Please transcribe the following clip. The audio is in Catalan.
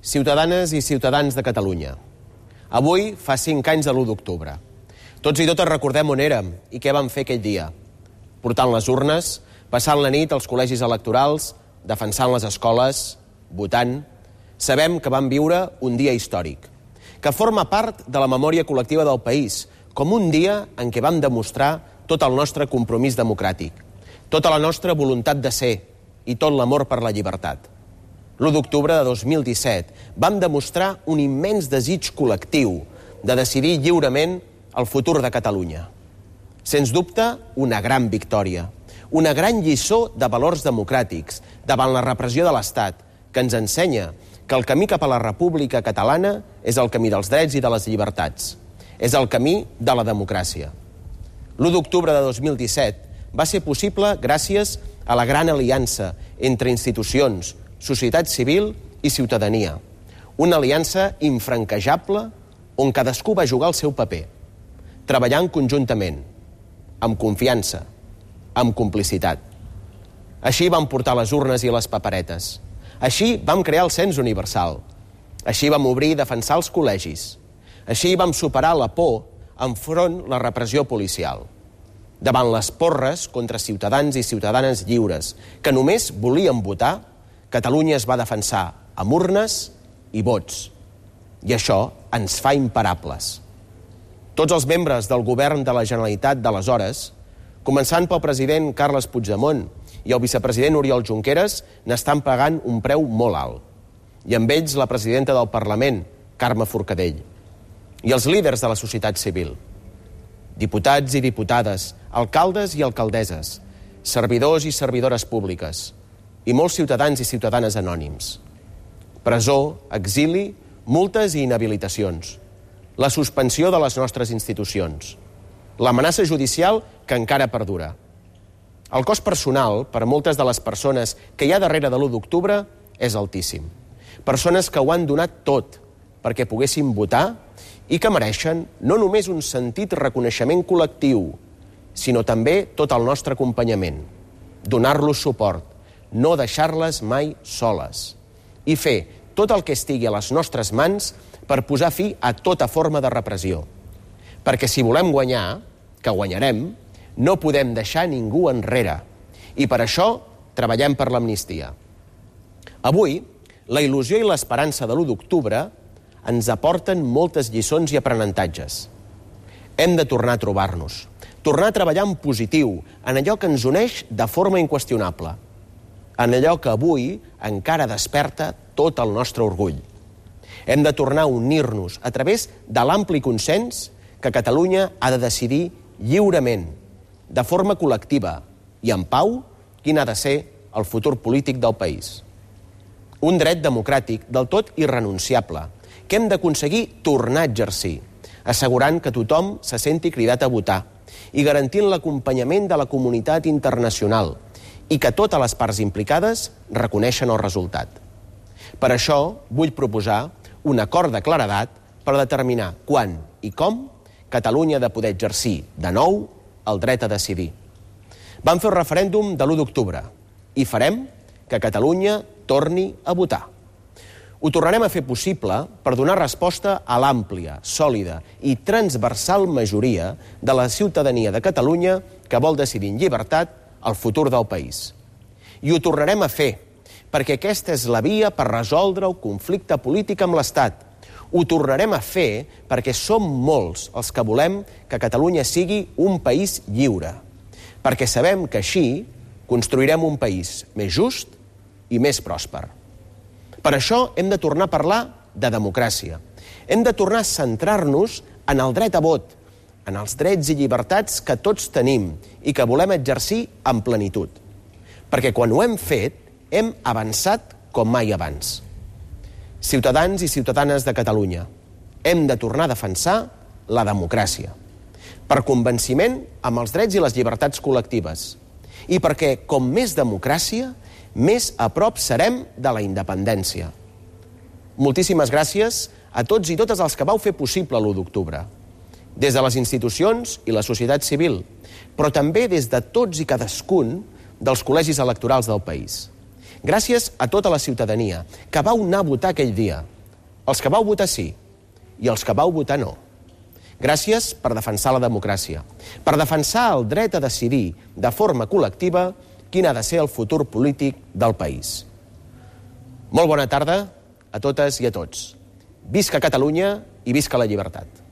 Ciutadanes i ciutadans de Catalunya. Avui fa 5 anys de l'1 d'octubre. Tots i totes recordem on érem i què vam fer aquell dia. Portant les urnes, passant la nit als col·legis electorals, defensant les escoles, votant. Sabem que vam viure un dia històric, que forma part de la memòria col·lectiva del país, com un dia en què vam demostrar tot el nostre compromís democràtic, tota la nostra voluntat de ser i tot l'amor per la llibertat. L'1 d'octubre de 2017 vam demostrar un immens desig col·lectiu de decidir lliurement el futur de Catalunya. Sens dubte, una gran victòria, una gran lliçó de valors democràtics davant la repressió de l'Estat, que ens ensenya que el camí cap a la República Catalana és el camí dels drets i de les llibertats. És el camí de la democràcia. L'1 d'octubre de 2017 va ser possible gràcies a la gran aliança entre institucions, societat civil i ciutadania. Una aliança infranquejable on cadascú va jugar el seu paper, treballant conjuntament, amb confiança, amb complicitat. Així vam portar les urnes i les paperetes. Així vam crear el cens universal. Així vam obrir i defensar els col·legis. Així vam superar la por enfront la repressió policial. Davant les porres contra ciutadans i ciutadanes lliures que només volien votar, Catalunya es va defensar amb urnes i vots. I això ens fa imparables. Tots els membres del govern de la Generalitat d'aleshores, començant pel president Carles Puigdemont i el vicepresident Oriol Junqueras, n'estan pagant un preu molt alt. I amb ells la presidenta del Parlament, Carme Forcadell. I els líders de la societat civil. Diputats i diputades, alcaldes i alcaldesses, servidors i servidores públiques, i molts ciutadans i ciutadanes anònims. Presó, exili, multes i inhabilitacions. La suspensió de les nostres institucions. L'amenaça judicial que encara perdura. El cost personal per a moltes de les persones que hi ha darrere de l'1 d'octubre és altíssim. Persones que ho han donat tot perquè poguessin votar i que mereixen no només un sentit reconeixement col·lectiu, sinó també tot el nostre acompanyament. Donar-los suport, no deixar-les mai soles i fer tot el que estigui a les nostres mans per posar fi a tota forma de repressió. Perquè si volem guanyar, que guanyarem, no podem deixar ningú enrere. I per això treballem per l'amnistia. Avui, la il·lusió i l'esperança de l'1 d'octubre ens aporten moltes lliçons i aprenentatges. Hem de tornar a trobar-nos, tornar a treballar en positiu, en allò que ens uneix de forma inqüestionable, en allò que avui encara desperta tot el nostre orgull. Hem de tornar a unir-nos a través de l'ampli consens que Catalunya ha de decidir lliurement, de forma col·lectiva i en pau, quin ha de ser el futur polític del país. Un dret democràtic del tot irrenunciable, que hem d'aconseguir tornar a exercir, assegurant que tothom se senti cridat a votar i garantint l'acompanyament de la comunitat internacional i que totes les parts implicades reconeixen el resultat. Per això vull proposar un acord de claredat per determinar quan i com Catalunya ha de poder exercir de nou el dret a decidir. Vam fer el referèndum de l'1 d'octubre i farem que Catalunya torni a votar. Ho tornarem a fer possible per donar resposta a l'àmplia, sòlida i transversal majoria de la ciutadania de Catalunya que vol decidir en llibertat el futur del país. I ho tornarem a fer perquè aquesta és la via per resoldre el conflicte polític amb l'Estat. Ho tornarem a fer perquè som molts els que volem que Catalunya sigui un país lliure, perquè sabem que així construirem un país més just i més pròsper. Per això hem de tornar a parlar de democràcia. Hem de tornar a centrar-nos en el dret a vot, en els drets i llibertats que tots tenim i que volem exercir en plenitud. Perquè quan ho hem fet, hem avançat com mai abans. Ciutadans i ciutadanes de Catalunya, hem de tornar a defensar la democràcia. Per convenciment amb els drets i les llibertats col·lectives. I perquè, com més democràcia, més a prop serem de la independència. Moltíssimes gràcies a tots i totes els que vau fer possible l'1 d'octubre. Des de les institucions i la societat civil, però també des de tots i cadascun dels col·legis electorals del país. Gràcies a tota la ciutadania que vau anar a votar aquell dia els que vau votar sí i els que vau votar no. Gràcies per defensar la democràcia, per defensar el dret a decidir de forma col·lectiva quin ha de ser el futur polític del país. Molt bona tarda a totes i a tots. Visca Catalunya i visca la llibertat.